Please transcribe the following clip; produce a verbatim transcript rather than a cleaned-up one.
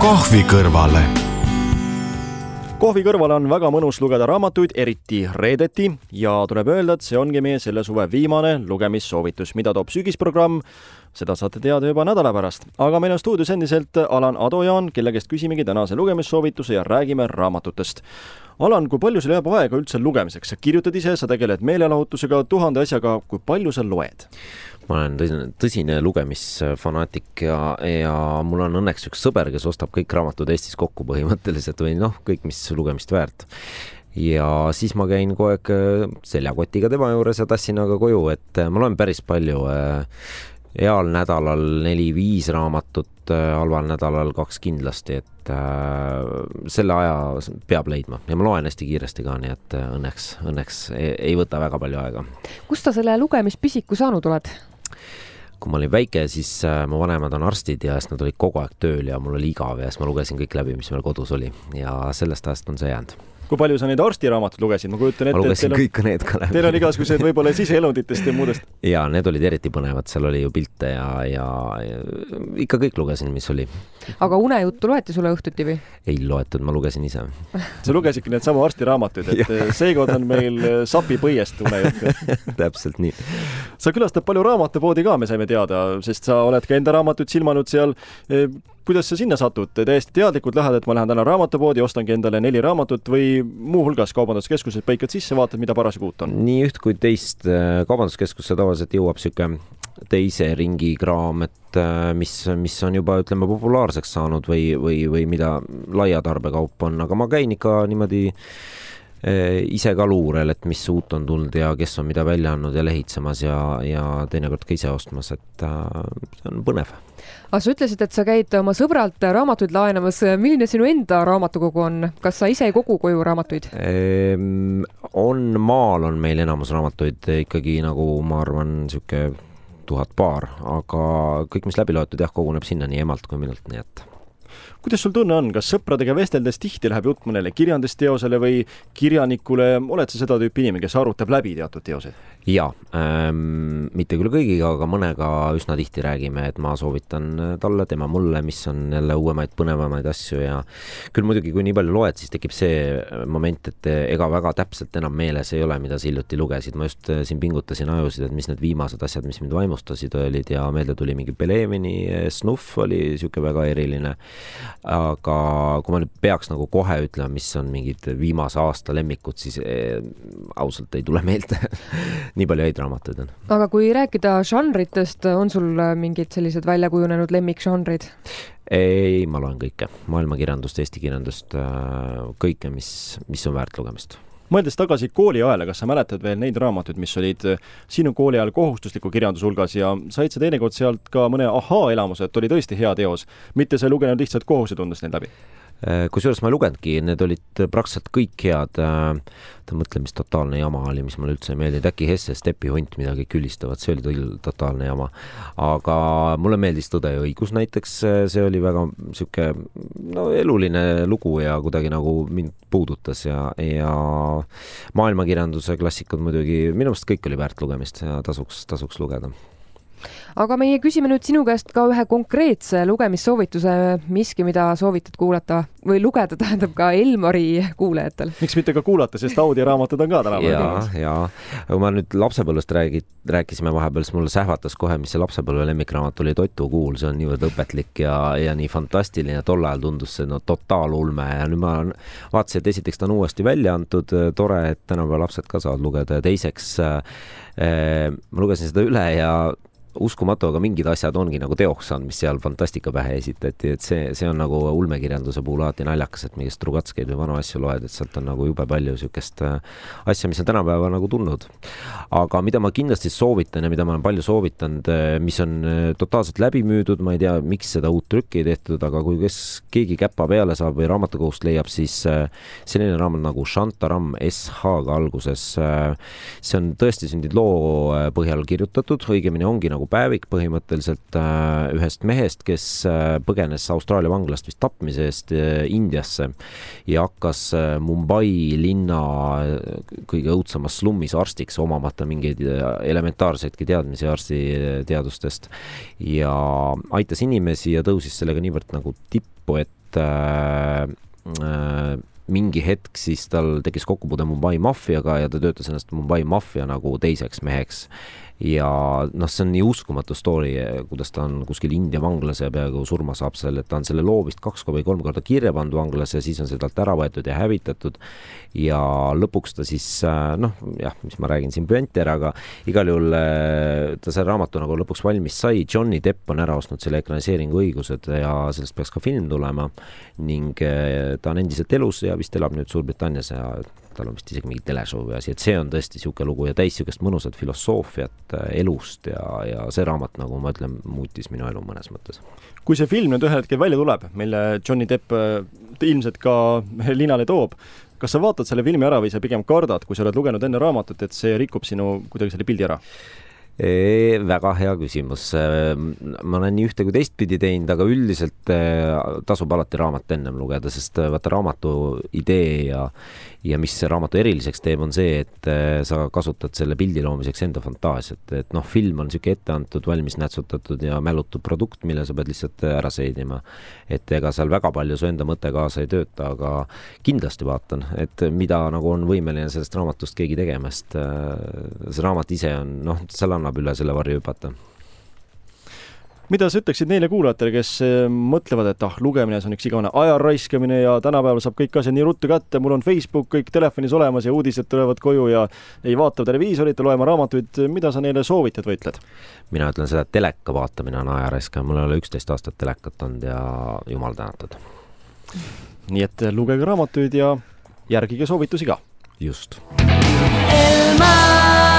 kohvi kõrvale. Kohvi kõrval on väga mõnus lugeda raamatuid, eriti reedeti, ja tuleb öelda, et see ongi meie selle suve viimane lugemissoovitus, mida toob sügisprogramm. Seda saate teada juba nädala pärast. Aga meil on stuudios endiselt Alan Adojaan, kelle käest küsimegi tänase lugemissoovituse ja räägime raamatutest. Alan, kui palju sul jääb aega üldse lugemiseks? Sa kirjutad ise, sa tegeled meelelahutusega, tuhande asjaga, kui palju sa loed? Ma olen tõsine, tõsine lugemisfanaatik ja, ja mul on õnneks üks sõber, kes ostab kõik raamatud Eestis kokku põhimõtteliselt või noh, kõik, mis lugemist väärt. Ja siis ma käin kogu aeg seljakotiga tema juures ja tassin aga koju, et ma loen päris palju. Heal nädalal neli-viis raamatut, halval nädalal kaks kindlasti, et äh, selle aja peab leidma. Ja ma loen hästi kiiresti ka, nii et õnneks, õnneks ei, ei võta väga palju aega. Kust ta selle lugemispisiku saanud oled? Kui ma olin väike, siis äh, mu vanemad on arstid ja nad olid kogu aeg tööl ja mul oli igav ja siis ma lugesin kõik läbi, mis meil kodus oli. Ja sellest ajast on see jäänud. Kui palju sa neid arstiraamatud lugesid? Ma kujutan ette, ma lugesin et kõik on, need ka läbi. Teil on igasugused võib-olla siseelunditest ja muudest. Ja need olid eriti põnevad, seal oli ju pilte ja, ja, ja ikka kõik lugesin, mis oli. Aga unejuttu loeti sulle õhtuti või? Ei loetud, ma lugesin ise. Sa lugesidki need sama arstiraamatuid, et seekord on meil sapi põiest unejuttu. Täpselt nii. Sa külastad palju raamatupoodi ka, me saime teada, sest sa oled ka enda raamatuid silmanud seal. Kuidas sa sinna satud? Täiesti teadlikult lähed, et ma lähen täna raamatupoodi, ostangi endale neli raamatut või muu hulgas kaubanduskeskused põikad sisse, vaatad, mida parasjagu uut on? Nii üht kui teist kaubanduskeskusse tavaliselt jõuab siuke teise ringi kraam, et mis, mis on juba, ütleme, populaarseks saanud või, või, või mida laia tarbekaup on, aga ma käin ikka niimoodi ise ka luurel, et mis uut on tulnud ja kes on mida välja andnud ja lehitsemas ja, ja teinekord ka ise ostmas, et see on põnev. Aga sa ütlesid, et sa käid oma sõbralt raamatuid laenamas. Milline sinu enda raamatukogu on? Kas sa ise ei kogu koju raamatuid? Ehm, on, maal on meil enamus raamatuid ikkagi nagu ma arvan siuke tuhat paar, aga kõik, mis läbi loetud, jah, koguneb sinna nii emalt kui minult, nii et kuidas sul tunne on? Kas sõpradega vesteldes tihti läheb jutt mõnele kirjandusteosele või kirjanikule? Oled sa seda tüüpi inimene, kes arutab läbi teatud teosed? Jaa, ähm, mitte küll kõigiga, aga mõnega üsna tihti räägime, et ma soovitan talle, tema mulle, mis on jälle uuemaid, põnevamaid asju ja küll muidugi, kui nii palju loed, siis tekib see moment, et ega väga täpselt enam meeles ei ole, mida sa hiljuti lugesid. Ma just siin pingutasin ajusid, et mis need viimased asjad, mis mind vaimustasid olid ja meelde tuli mingi Belevini Snuff oli siuke väga eriline. Aga kui ma nüüd peaks nagu kohe ütlema, mis on mingid viimase aasta lemmikud, siis eh, ausalt ei tule meelde. Nii palju häid raamatuid on. Aga kui rääkida žanritest, on sul mingid sellised väljakujunenud lemmikžanrid? Ei, ma loen kõike. Maailmakirjandust, Eesti kirjandust, kõike, mis, mis on väärt lugemist. Mõeldes tagasi kooli ajale, kas sa mäletad veel neid raamatuid, mis olid sinu kooli ajal kohustusliku kirjandus hulgas ja said sa teinekord sealt ka mõne ahaa-elamuse, et oli tõesti hea teos, mitte sa ei lugenud lihtsalt kohuse tundes neid läbi? Kusjuures ma ei lugenudki, need olid praktiliselt kõik head. Ta mõtle, mis totaalne jama oli, mis mulle üldse ei meeldi. Äkki Hesse Stepi hunt midagi külistavad, see oli totaalne jama. Aga mulle meeldis Tõde ja õigus näiteks, see oli väga siuke no, eluline lugu ja kuidagi nagu mind puudutas ja, ja maailmakirjanduse klassikud muidugi, minu meelest kõik oli väärt lugemist ja tasuks, tasuks lugeda. Aga meie küsime nüüd sinu käest ka ühe konkreetse lugemissoovituse, miski, mida soovitad kuulata või lugeda, tähendab ka Elmari kuulajatel. Miks mitte ka kuulata, sest audioraamatud on ka täna. Jaa, jaa. Kui ma nüüd lapsepõlvest räägid, rääkisime vahepeal, siis mulle sähvatas kohe, mis see lapsepõlve lemmikraamat oli Totu kuul, see on niivõrd õpetlik ja, ja nii fantastiline, tol ajal tundus see no, totaalulme ja nüüd ma vaatasin, et esiteks ta on uuesti välja antud, tore, et tänapäeva lapsed ka saavad lugeda ja teiseks äh, ma lugesin seda üle ja uskumatu, aga mingid asjad ongi nagu teoks saanud, mis seal fantastika pähe esitati, et see, see on nagu ulmekirjanduse puhul alati naljakas, et mingist Trugatskeid või vanu asju loed, et sealt on nagu jube palju siukest asja, mis on tänapäeva nagu tulnud. Aga mida ma kindlasti soovitan ja mida ma olen palju soovitanud, mis on totaalselt läbi müüdud, ma ei tea, miks seda uut trükki ei tehtud, aga kui kes keegi käppa peale saab või raamatukoust leiab, siis selline raamat nagu Shantaram S H-ga alguses, see on tõesti sündid loo põhjal kirjutatud, õigemini ongi nagu päevik põhimõtteliselt äh, ühest mehest, kes äh, põgenes Austraalia vanglast vist tapmise eest äh, Indiasse ja hakkas äh, Mumbai linna kõige õudsemas slummis arstiks omamata mingeid elementaarseidki teadmisi arstiteadustest ja aitas inimesi ja tõusis sellega niivõrd nagu tippu, et et äh, äh, mingi hetk siis tal tekkis kokkupuude Mumbai maffiaga ja ta töötas ennast Mumbai maffia nagu teiseks meheks. Ja noh, see on nii uskumatu story, kuidas ta on kuskil India vanglas ja peaaegu surma saab seal, et ta on selle loo vist kaks või kolm korda kirja pannud vanglas ja siis on seda ära võetud ja hävitatud ja lõpuks ta siis, noh jah, mis ma räägin siin püenti ära, aga igal juhul ta see raamatu nagu lõpuks valmis sai. Johnny Depp on ära ostnud selle ekraniseeringu õigused ja sellest peaks ka film tulema ning ta on endiselt elus ja vist elab nüüd Suurbritannias ja tal on vist isegi mingi teleshow ja asi, et see on tõesti siuke lugu ja täis siukest mõnusat filosoofiat elust ja, ja see raamat, nagu ma ütlen, muutis minu elu mõnes mõttes. Kui see film nüüd ühel hetkel välja tuleb, mille Johnny Depp ilmselt ka linale toob, kas sa vaatad selle filmi ära või sa pigem kardad, kui sa oled lugenud enne raamatut, et see rikub sinu kuidagi selle pildi ära? E, väga hea küsimus. Ma olen nii ühte kui teist pidi teinud, aga üldiselt tasub alati raamat ennem lugeda, sest vaata raamatu idee ja, ja mis see raamatu eriliseks teeb, on see, et sa kasutad selle pildi loomiseks enda fantaasiat. Et noh, film on siuke ette antud, valmis nätsutatud ja mälutud produkt, mille sa pead lihtsalt ära seedima. Et ega seal väga palju su enda mõte kaasa ei tööta, aga kindlasti vaatan, et mida nagu on võimeline sellest raamatust keegi tegemast. See raamat ise on, noh, seal annab üle selle varju hüpata. Mida sa ütleksid neile kuulajatele, kes mõtlevad, et ah, lugemine on üks igavene aja raiskamine ja tänapäeval saab kõik asjad nii ruttu kätte, mul on Facebook kõik telefonis olemas ja uudised tulevad koju ja ei vaata televiisorit ja loema raamatuid, mida sa neile soovitad või ütled? Mina ütlen seda, et teleka vaatamine on aja raiskaja, mul ei ole üksteist aastat telekat olnud ja jumal tänatud. Nii et lugege raamatuid ja järgige soovitusi ka. Just. Elmar